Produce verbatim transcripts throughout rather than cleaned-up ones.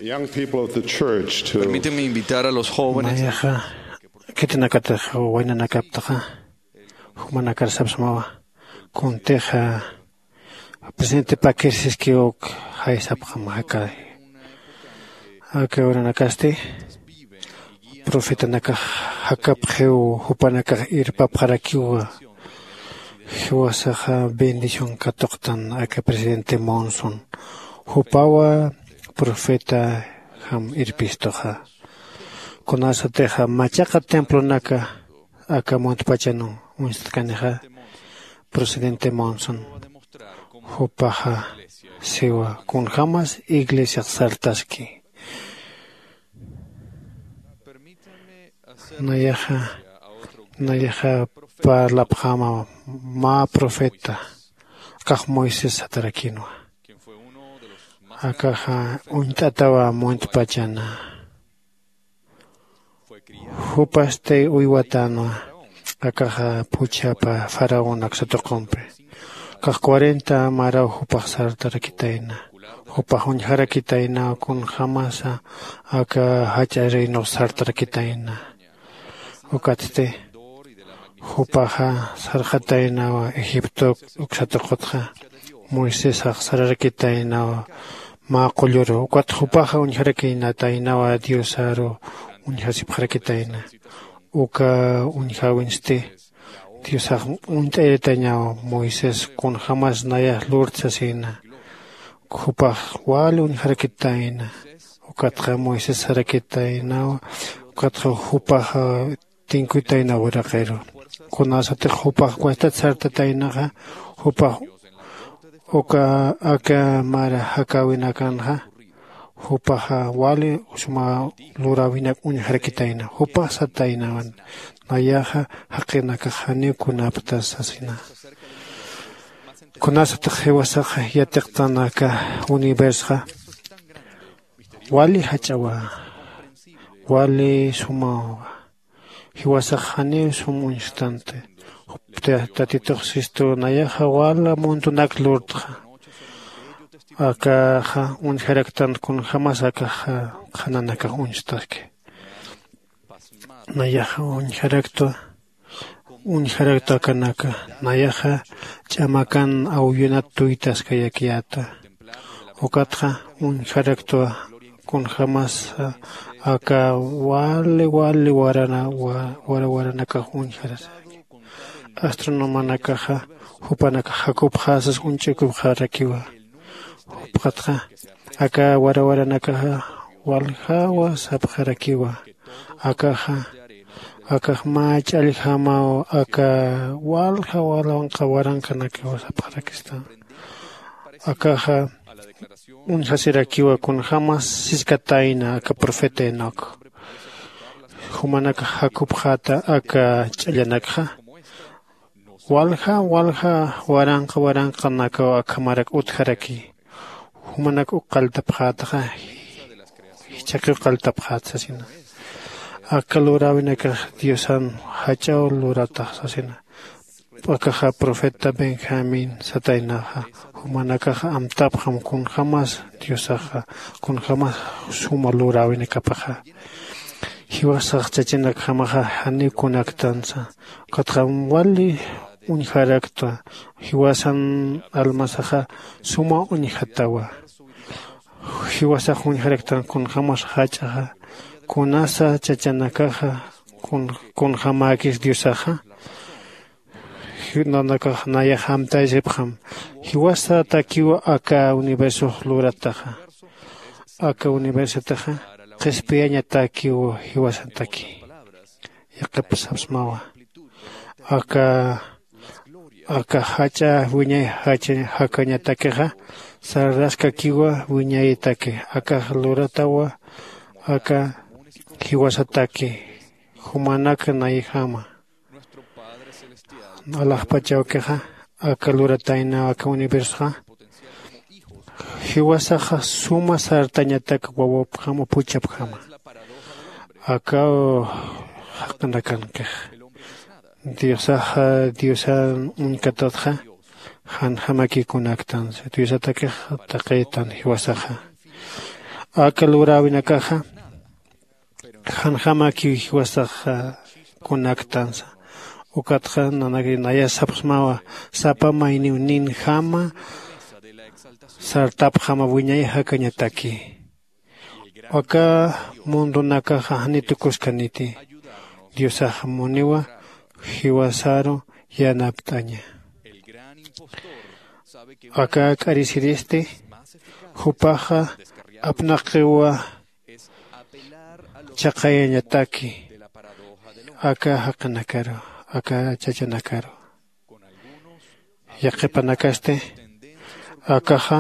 Young people of the church to Permíteme invitar a los jóvenes. Nayaxa khitinakatix waynanakaptaxa, jumanakar sapsmawa kuntixa presidente pakirsiskiwk jaysapxam jakay. Aka uranakasti profetanakax jakapxiw, jupanakax irpapxarakiwa. Jiwasaxa bendición katuqtan aka presidente Monson, jupawa profeta jam irpistuxa. Kunasatixa machaqa templonaka aka muntpachan uñstatkanixa, presidente Monson jupaxa siwa kunjämas iglesiax sartaski. Nayaxa nayaxa parlapxäma mä profeta, akax Moisés satarakïnwa. Akaxa uñt'atawa muntpachana. Jupasti uywatänwa akaxa phuchhapa faraón aksa tuqumpi. Akax cuarenta maraw jupax sartarakitayna. Jupax uñjarakitaynaw kunjämasa aka jach'a reinux sartarakitayna. Ukatsti jupaxa sarxataynaw egipto uksa tuqutxa. Moisésax sararakitaynaw mä qulluru, ukat jupaxa uñjarakïnataynawa diosaru uñjasipxarakitayna. Uka uñjäwinsti diosax uñt'ayiritañaw moisés kunjämas nayax lurta sasïna. Jupax wali uñjarakitayna. Ukatxa moisés sarakitaynaw. Ukatxa jupaxa tinkuytaynaw uraqiru. Kunasatix jupax cuestat sartataynaxa, jupax uka aka mara jakäwinakanxa jupaxa wali suma luräwinak uñjarakitayna. Jupax sataynawan nayaxa jaqinakax janiw kunapta sasina. Kunasatix jiwasaxa yatiqtanaka universoxa wali jach'awa, wali sumawa. Jiwasax janiw sum uñstanti. Jupti tatitux sistu nayaxa wala muntunak lurtxa. Akaxa uñjaraktan kunjämas akaxa qhananakax uñstaki. Nayaxa uñjaraktwa uñjaraktwa akanaka. Nayaxa ch'amakan awyunat tuytaskayakiyäta. Ukatxa uñjaraktwa kunjämas aka wali wali warana wara waranakax uñjarasaki. Astronomanakaxa jupanakax jakupxäsas uñch'ukupxarakiwa. Jupxatxa aka warawaranakaxa waljawa sapxarakiwa. Akaxa akax mä ch'alljamaw aka walja walanqa waranqanakiwa sapxarakista. Akaxa uñjasirakiwa kunjämas siskatayna aka profeta enoc. Jumanakax jakupxäta aka ch'allanakxa walja walja waranqa waranqanakaw akhamarak utjaraki. Jumanak uk qalltapxätaxa jichhaqiw qalltapxäta sasina. Aka luräwinakax diosan jach'aw luratax sasina. Akaxa profeta benjamín sataynaxa jumanakax amtapxam kunjämas diosaxa kunjämas suma luräwinakapaxa. Jiwasax chachanakjamaxa janiw kunaktansa. Ukatxa wali uñjaraktwa. Jiwasan almasaxa suma uñjatawa. Jiwasax uñjaraktan kunjämas jach'axa kunasa chachanakaxa kunjämäkis diosaxa. Nanakax nayax amtaysipxam jiwasatakiw aka universox lurataxa. Aka universotaxa qhispiyañatakiw jiwasataki. Yaqhip sapsmawa aka aka jach'a wiñay jakañatakixa sararaskakiwa wiñaytaki. Akax luratawa aka jiwasataki jumanak nayjama. Alaxpachawkixa aka lurataynaw aka universoxa jiwasaxa suma sartañatak wawapjama phuchhapjama. Akaw jaqinakankix diosaxa diosan uñkatatxa janjamakikunaktansa diosatakix taqiytan jiwasaxa. Aka luräwinakaxa janjamakiw jiwasax kunaktansa. Ukatxa nanakri naya sapxsmawa sapa mayniwninjama sartapxama wiñay jakañataki. Aka mundunakaxa janiw tukuskaniti. Diosax muniwa jiwasaru yanapt'aña. Aka k'arisiristi jupaxa apnaqiwa chaqayañataki aka jaqinakaru, aka chachanakaru. Yaqhipanakasti akaxa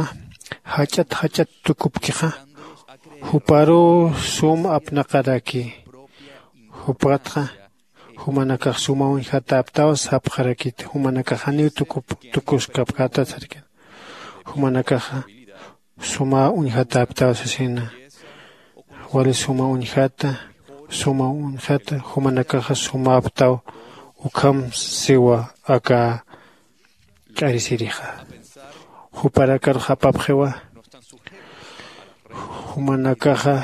jach'at jach'at tukupkixa juparuw sum apnaqaraki. Jupatxa jumanakax suma uñjatäptaw sapxarakiti. Jumanakax janiw tukup tukuskapkätat sarkina. Jumanakaxa suma uñjatäptaw sasina. Wali suma uñjata, suma uñjata jumanakaxa sumäptaw. Ukham siwa aka k'arisirixa. Juparakarux apapxiwa jumanakaxa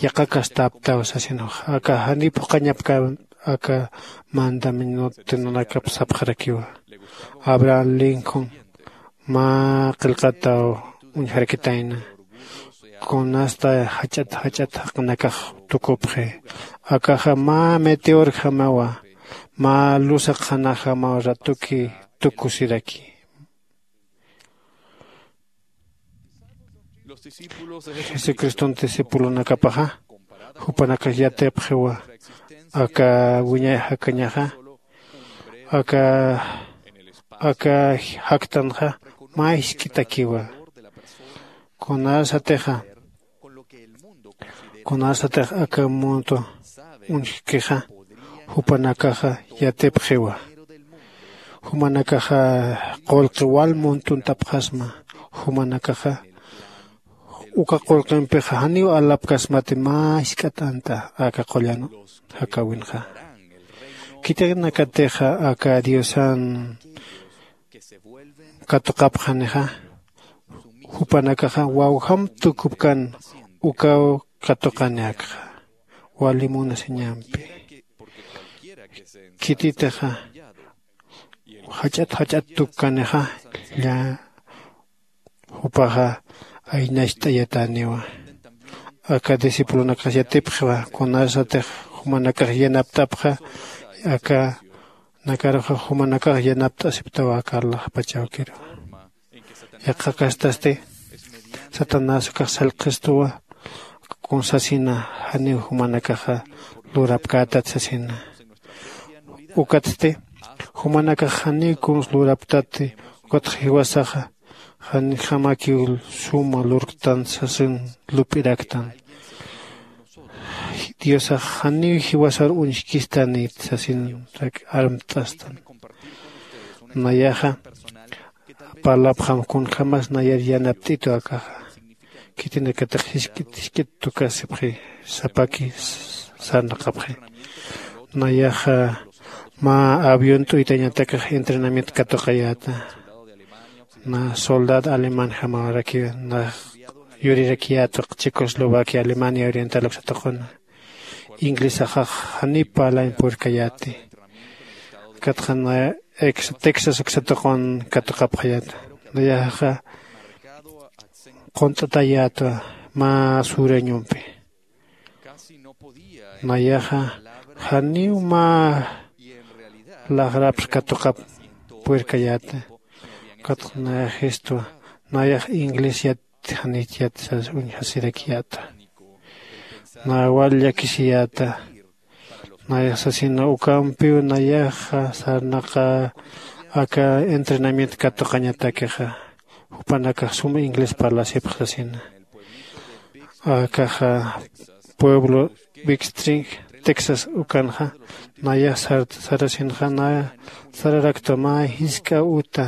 yaqhakastäptaw sasinux. Aka janiw phuqhañapkä aka mandamientonakap sapxarakiwa. Abraham linkhun mä qillqataw uñjarakitayna. Kunasta jach'at jach'at jaqinakax tukupxi. Akaxa mä meteorjamawa mä luzaqxanajamaw ratuki tukusiraki. Jesucriston discipulonakapaxa jupanakax yatipxiwa aka wiñay jakañaxa aka aka jaktanxa mä jisk'itakiwa. Kunasatixa kunasatix aka mundo uñjkixa jupanakaxa yatipxiwa. Jumanakaxa qullqi wal muntuntapxasma. Jumanakaxa uka qullqimpixa janiw alapkasmati mä jisk'at ant'a aka qullan jakäwinxa. Khitinakatixa aka diosan katuqapxanixa jupanakaxa wawjam tukupkan ukaw katuqani akxa wali munasiñampi. Khititixa jach'at jach'at tukkanixa lla jupaxa aynacht'ayatäniwa. Aka discipulonakax yatipxiwa kunasatix jumanakax yanapt'apxa aka nakaruxa jumanakax yanapt'asiptawa aka alaxpach awkiru. Yaqha kastasti satanás ukax sallqhistuwa kunsasina janiw jumanakaxa lurapkätat sasina. Ukatsti jumanakax janiw kuns luraptati ukatxa jiwasaxa janjamakiw suma lurktan sasin lup'iraktan. Diosax janiw jiwasar uñjkistanit sasin armt'astan. Nayaxa parlapxam kunjämas nayar yanapt'itu akaxa khitinakatix jisk'it jisk'it tukasipxi sapaki sarnaqapxi. Nayaxa mä avión t'uytañatakix entrenamiento katuqayäta. Na soldado alemán jamawarakiwa na yurirakiyätwa checoslovaquia alemania oriental uksatuquna. Inglesaxax janiw parlañ purkayäti. Katxa na texas uksatuqun katuqapxayäta. Nayaxa qunt'atayätwa mä sureñompi. Nayaxa janiw mä laxrapx katuqap puerkayäta. Ukatxa nayaxistwa nayax inglés yat janich yat sas uñjasirakiyäta. Nayax wal llakisiyäta. Nayax sasina ukampiw nayaxa sarnaqa aka entrenamiento katuqañatakixa jupanakax suma inglés parlasipx sasina. Akaxa pueblo bixtring texas ukanxa nayax sarasinxa naya sararaktwa mä jisk'a uta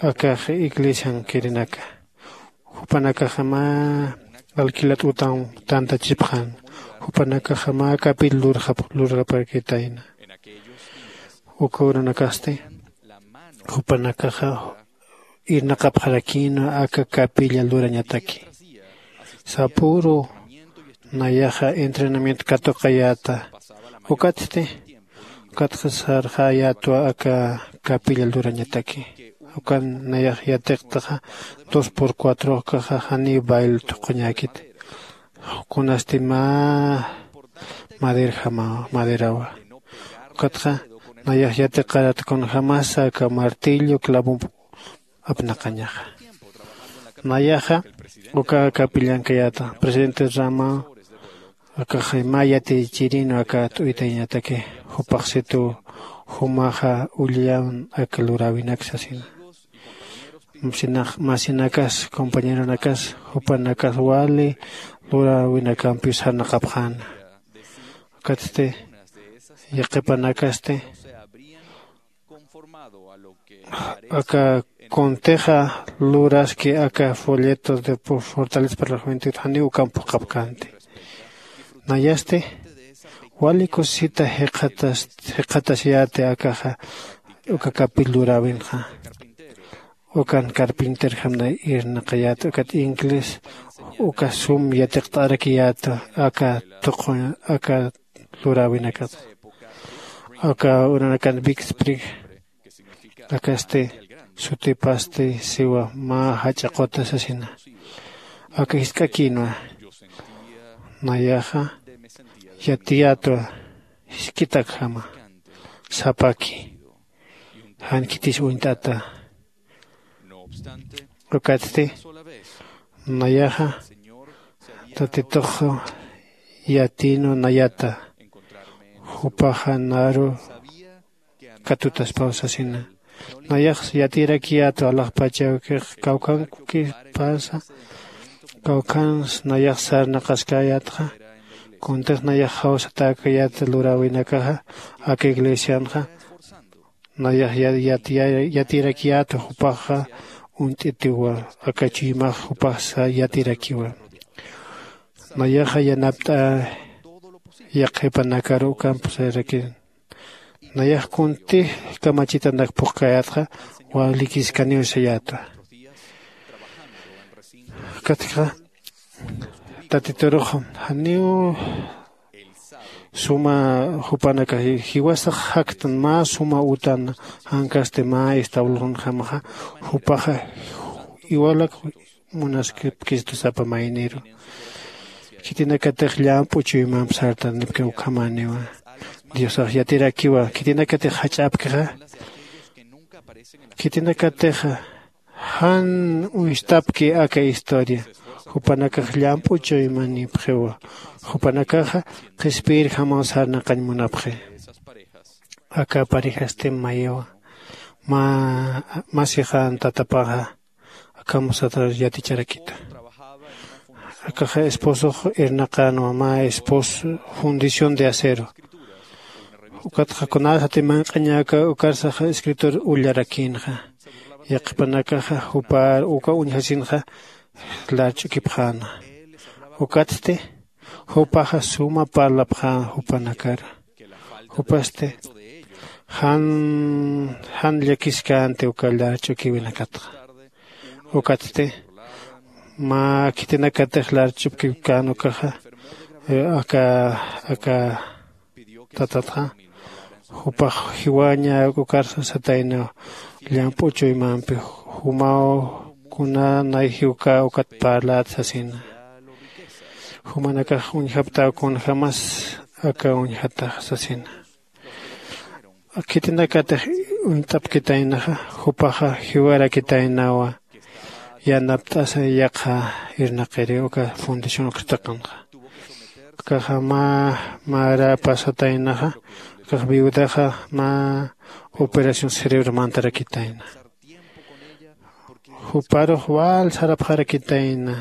akax iglesiankirinaka. Jupanakaxa mä alquilat utan tantachipxan. Jupanakaxa mä capilla lurxaparkitayna. Uka uranakasti jupanakaxa irnaqapxarakïnwa aka capilla lurañataki. Sapüru nayaxa entrenamiento katuqayäta. Ukatsti ukatxa sarxäyätwa aka kapilla lurañataki. Ukan nayax yatiqtaxa dos por cuatro ukaxa janiw bail thuqhuñäkit. Kunasti mä maderjama maderawa. Ukatxa nayax yatiqarat kunjämasa aka martillo clavomp apnaqañaxa. Nayaxa uka kapillankayäta presidente rama akaxa mä yatichirinwa aka t'uytayañataki. Jupaxsitu jumaxa ullillan aka luräwinak sasina. Masinakas compañeronakas jupanakas wali luräwinakampiw sarnaqapxäna. Ukatsti yaqhipanakasti aka kuntixa luraski aka folleto de fortaleza para la juventud janiw ukamp phuqhapkänti. Nayasti wali kusisita jikxatasiyäti akaxa uka kapill luräwinxa. Ukan carpinterjamna irnaqayäta ukat inglés uka sum yatiqt'arakiyäta aka tuqu aka luräwinakata. Aka uranakan vicsprig akasti sutipasti siwa mä jach'a quta sasina. Aka jisk'akïnwa nayaxa yatiyätwa jisk'itakjama sapaki jan khitis uñt'ata. Ukatsti nayaxa tatitux yatïnwa nayata jupaxa naru katutaspaw sasina. Nayax yatirakiyätwa alaxpachawkix kawkhankipasa kawkhans nayax sarnaqaskäyätxa. Kuntix nayax jawsatäkayät luräwinakaxa aka iglesianxa nayax yatirakiyätwa jupaxa uñt'itiwa aka chuymax jupaxsa yatirakiwa. Nayaxa yanapt'a yaqhipanakaru ukamp sayarakiw. Nayax kuntix kamachitanak phuqkäyätxa walikiskaniw sayätwa. Ukatxa tatiturux janiw suma jupanakax jiwasax jaktan mä suma utan jankasti mä establonjamaxa jupaxa iwalak munaskipkistu sapa mayniru. Khitinakatix llamp'u chuymamp sartanipki ukhamäniwa. Diosax yatirakiwa khitinakatix jach'apkixa khitinakatixa jan uñstapki aka historia. Jupanakax llamp'u chuymanipxiwa. Jupanakaxa qhispiyirjamaw sarnaqañ munapxi. Aka parejastim mayiwa mä masixan tatapaxa akham sata yaticharakita. Akaxa esposox irnaqänwa mä espos fundición de acero. Ukatxa kunasati manq'añäka ukarsaxa escritor ullarakïnxa. Yaqhipanakaxa jupar uka uñjasinxa larch'ukipxäna. Ukatsti jupaxa suma parlapxän jupanakar. Jupasti jan jan llakiskänti uka larch'ukiwinakatxa. Ukatsti mä khitinakatix larch'upkiwkän ukaxa aka aka tatatxa jupax jiwaña ukar sataynaw llamp'u chuymampi jumaw kuna nay jiwkä ukat parlät sasina. Jumanakax uñjaptaw kunjämas aka uñjatax sasina. Khitinakatix uñt'apkitaynaxa jupaxa jiwarakitaynawa yanapt'asa yaqha irnaqiri uka fundición ukstaqanxa. Ukaxa mä mara pasataynaxa ukax viudaxa mä operación cerebro mantarakitayna. Juparux wal sarapxarakitayna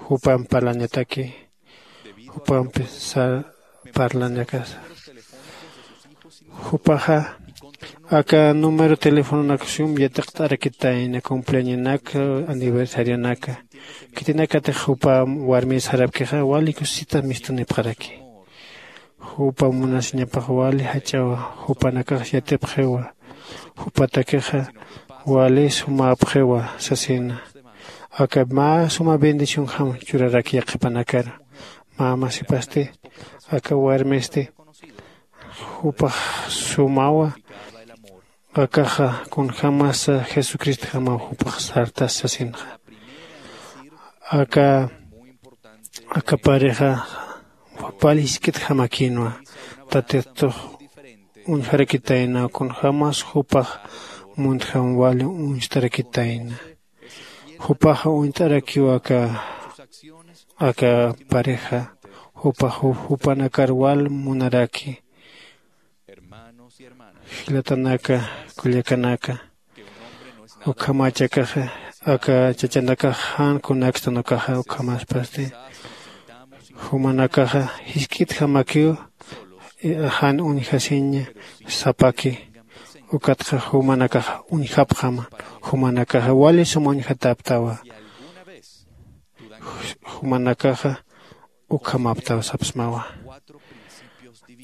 jupamp parlañataki jupampi parlañakasa. Jupaxa aka número telefononak sum yatiqt'arakitayna cumpleañonaka aniversarionaka. Khitinakatix jupa warmir sarapkixa wali kusisita mistunipxaraki. Jupa munasiñapax wali jach'awa. Jupanakax yatipxiwa. Jupatakixa wali sumäpxiwa sasina. Aka mä suma bendicionjam churarak yaqhipanakar. Mä masipasti, aka warmisti jupax sumawa akaxa kunjämasa jesucristjamaw jupax sartas sasinxa. Aka aka pareja pali jisk'itjamakïnwa. Tatitux uñjarakitayna kunjämas jupax muntjam wali uñstarakitayna. Jupaxa uñt'arakiw aka aka pareja jupax jupanakar wal munaraki. Jilatanaka, kullakanaka, ukhamachakaxa aka chachanakax jan kunakstan ukaxa ukhamaspasti jumanakaxa jisk'itjamakiw. Jan uñjasiñ sapaki. Ukatxa jumanakaxa uñjapxama. Jumanakaxa wali sum uñjatäptawa. Jumanakaxa ukhamaptaw sapsmawa.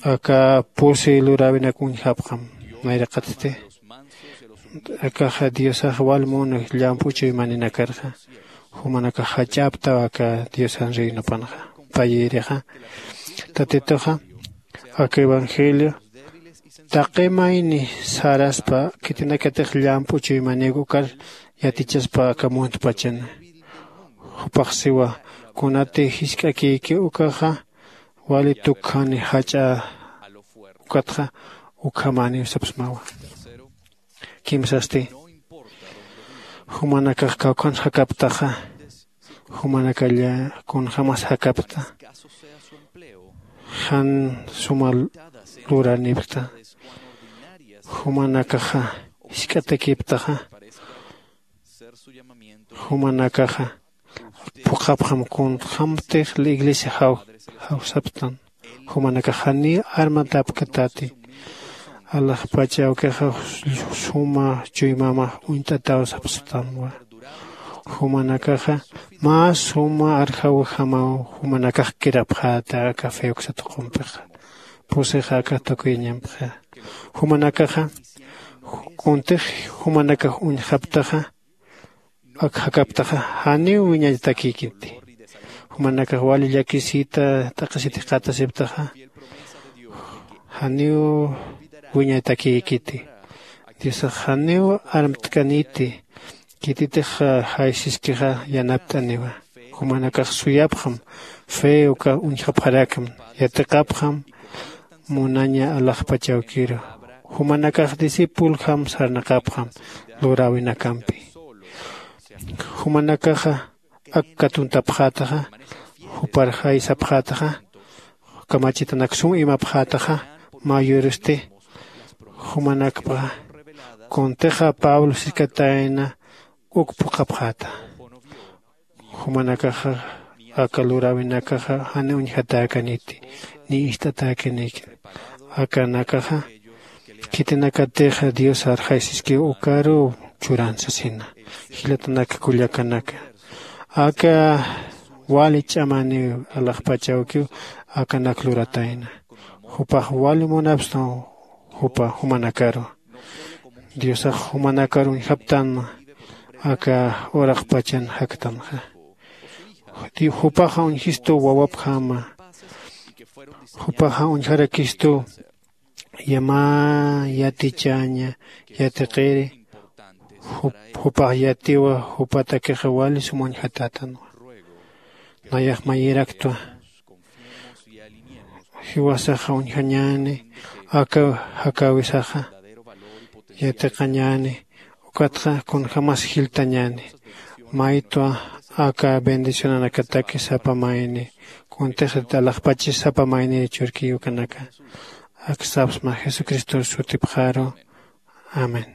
Aka pusi luräwinak uñjapxam nayraqatsti. Akaxa diosax wal munu llamp'u chuymaninakarxa. Jumanakax jach'aptaw aka diosan reinopanxa. Payïrixa tatituxa aka evangelio taqi mayni saraspa khitinakatix llamp'u chuymaniw ukar yatichaspa aka muntpachana. Jupax siwa kunati jisk'akïki ukaxa wali tukjani jach'a. Ukatxa ukhamäniw sapsmawa. Kimsasti jumanakax kawkhan jakaptaxa jumanakalla kunjämas jakapta jan suma luranipkta. Jumanakaxa jisk'atakiptaxa jumanakaxa phuqhapxam kunjämtix la iglesia jaw jawsaptan. Jumanakax janiw armatapkatati. Alaxpacha awkixa suma chuymamax uñt'ataw sapstamwa. Jumanakaxa mä suma arjawjamaw jumanakax kirapxäta aka feoksa tuqumpixa. Pusixa aka tukuyañampxa. Jumanakaxa kuntix jumanakax uñjaptaxa ak jakaptaxa janiw wiñatakïkiti. Jumanakax wali llakisita t'aqhisitix qatasiptaxa janiw wiñatakïkiti. Diosax janiw armtkaniti. Khititix jaysiskixa yanapt'aniwa. Jumanakax suyapxam fe uka uñjapxarakam yatiqapxam munaña alaxpach awkiru. Jumanakax discipuljam sarnaqapxam luräwinakampi. Jumanakaxa ak katuntapxätaxa jupar jaysapxätaxa kamachitanak sum imapxätaxa mayurusti jumanakpaxa kuntixa pablo siskatayna uk phuqhapxäta. Jumanakaxa aka luräwinakaxa jani uñjatäkaniti ni ist'atäkanïki. Akanakaxa khitinakatixa dios arjaysiskiw ukaruw churan sasina. Jilatanaka kullakanaka aka wali ch'amaniw alaxpach awkiw akanak luratayna. Jupax wali munapstan jupa jumanakaru. Diosax jumanakar uñjaptanma aka uraqpachan jaktanxa. Jupaxa uñjistu wawapjama. Jupaxa uñjarakistu yamä yatichaña yatiqiri. Jupax yatiwa jupatakixa wali sum uñjatätanwa. Nayax mayïraktwa jiwasaxa uñjañäni aka jakäwisaxa yatiqañäni. Ukatxa kunjämas jiltañäni maytwa aka bendicionanakataki sapa mayni kuntixrit alaxpachis sapa maynir churkiy ukanaka. Ak sapsma jesucristor sutipxaru. Amén.